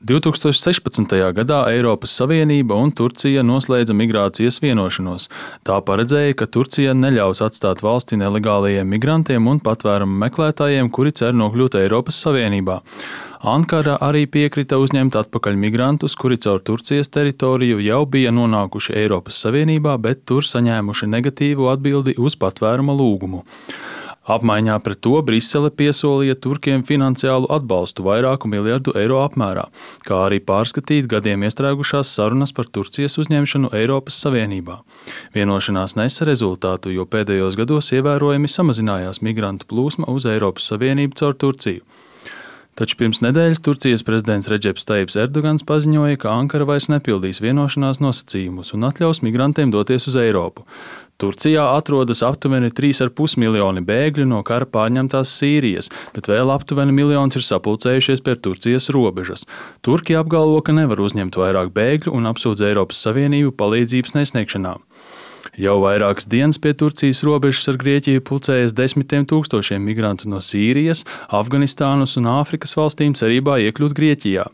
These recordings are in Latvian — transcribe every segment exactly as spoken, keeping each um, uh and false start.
divtūkstoš sešpadsmitajā gadā Eiropas Savienība un Turcija noslēdza migrācijas vienošanos. Tā paredzēja, ka Turcija neļaus atstāt valsti nelegālajiem migrantiem un patvērumu meklētājiem, kuri cer nokļūt Eiropas Savienībā. Ankara arī piekrita uzņemt atpakaļ migrantus, kuri caur Turcijas teritoriju jau bija nonākuši Eiropas Savienībā, bet tur saņēmuši negatīvu atbildi uz patvēruma lūgumu. Apmaiņā pret to Brisele piesolīja turkiem finansiālu atbalstu vairāku miljardu eiro apmērā, kā arī pārskatīt gadiem iestrēgušās sarunas par Turcijas uzņemšanu Eiropas Savienībā. Vienošanās nesa rezultātu, jo pēdējos gados ievērojami samazinājās migrantu plūsma uz Eiropas Savienību caur Turciju. Taču pirms nedēļas Turcijas prezidents Redžeps Tajibs Erdogans paziņoja, ka Ankara vairs nepildīs vienošanās nosacījumus un atļaus migrantiem doties uz Eiropu. Turcijā atrodas aptuveni trīs ar pus miljoni bēgļu no kara pārņemtās Sīrijas, bet vēl aptuveni miljons ir sapulcējušies pie Turcijas robežas. Turki apgalvo, ka nevar uzņemt vairāk bēgļu un apsūdz Eiropas Savienību palīdzības nesniegšanā. Jau vairākas dienas pie Turcijas robežas ar Grieķiju pulcējas desmitiem tūkstošiem migrantu no Sīrijas, Afganistānas un Āfrikas valstīm cerībā iekļūt Grieķijā.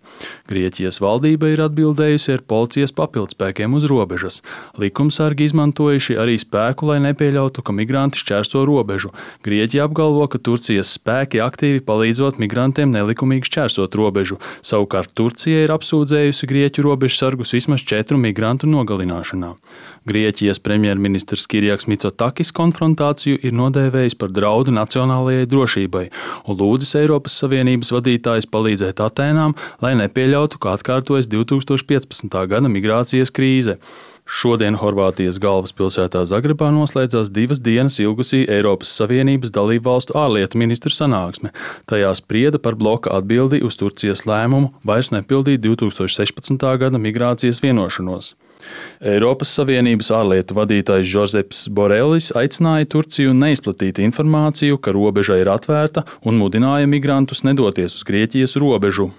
Grieķijas valdība ir atbildējusi ar policijas papildspēkiem uz robežas. Likumsargi izmantojuši arī spēku, lai nepieļautu, ka migranti šķērso robežu. Grieķija apgalvo, ka Turcijas spēki aktīvi palīdzot migrantiem nelikumīgi šķērsot robežu. Savukārt Turcija ir apsūdzējusi Grieķu robežsargus vismaz četru migrantu nogalināšanā. Grieķijas premjerministrs Kirijaks Mitsotakis konfrontāciju ir nodēvējis par draudu nacionālajai drošībai un lūdzis Eiropas Savienības vadītājus palīdzēt Atēnām, lai nepieļautu, ka atkārtojas divtūkstoš piecpadsmitā gada migrācijas krīze. Šodien Horvātijas galvaspilsētā Zagrebā noslēdzās divas dienas ilgusī Eiropas Savienības dalību valstu ārlietu ministru sanāksme. Tajā sprieda par bloka atbildi uz Turcijas lēmumu vairs nepildīt divtūkstoš sešpadsmitā gada migrācijas vienošanos. Eiropas Savienības ārlietu vadītājs Žozeps Borelis aicināja Turciju neizplatīt informāciju, ka robeža ir atvērta, un mudināja migrantus nedoties uz Grieķijas robežu.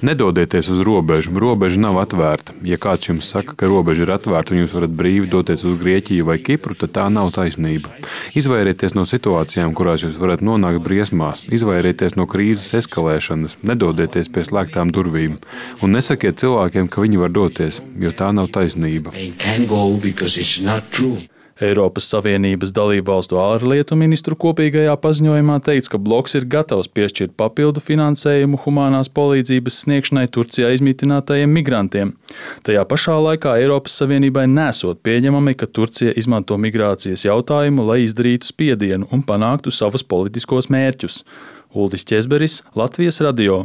Nedodieties uz robežu, robeža nav atvērta. Ja kāds jums saka, ka robeža ir atvērta un jūs varat brīvi doties uz Grieķiju vai Kipru, tad tā nav taisnība. Izvairieties no situācijām, kurās jūs varat nonākt briesmās, izvairieties no krīzes eskalēšanas, nedodieties pie slēgtām durvīm un nesakiet cilvēkiem, ka viņi var doties, jo tā nav taisnība. Eiropas Savienības dalību valstu ārlietu ministru kopīgajā paziņojumā teikts, ka bloks ir gatavs piešķirt papildu finansējumu humānās palīdzības sniegšanai Turcijā izmitinātajiem migrantiem. Tajā pašā laikā Eiropas Savienībai nesot pieņemami, ka Turcija izmanto migrācijas jautājumu, lai izdarītu spiedienu un panāktu savus politiskos mērķus. Uldis Ķezberis, Latvijas radio.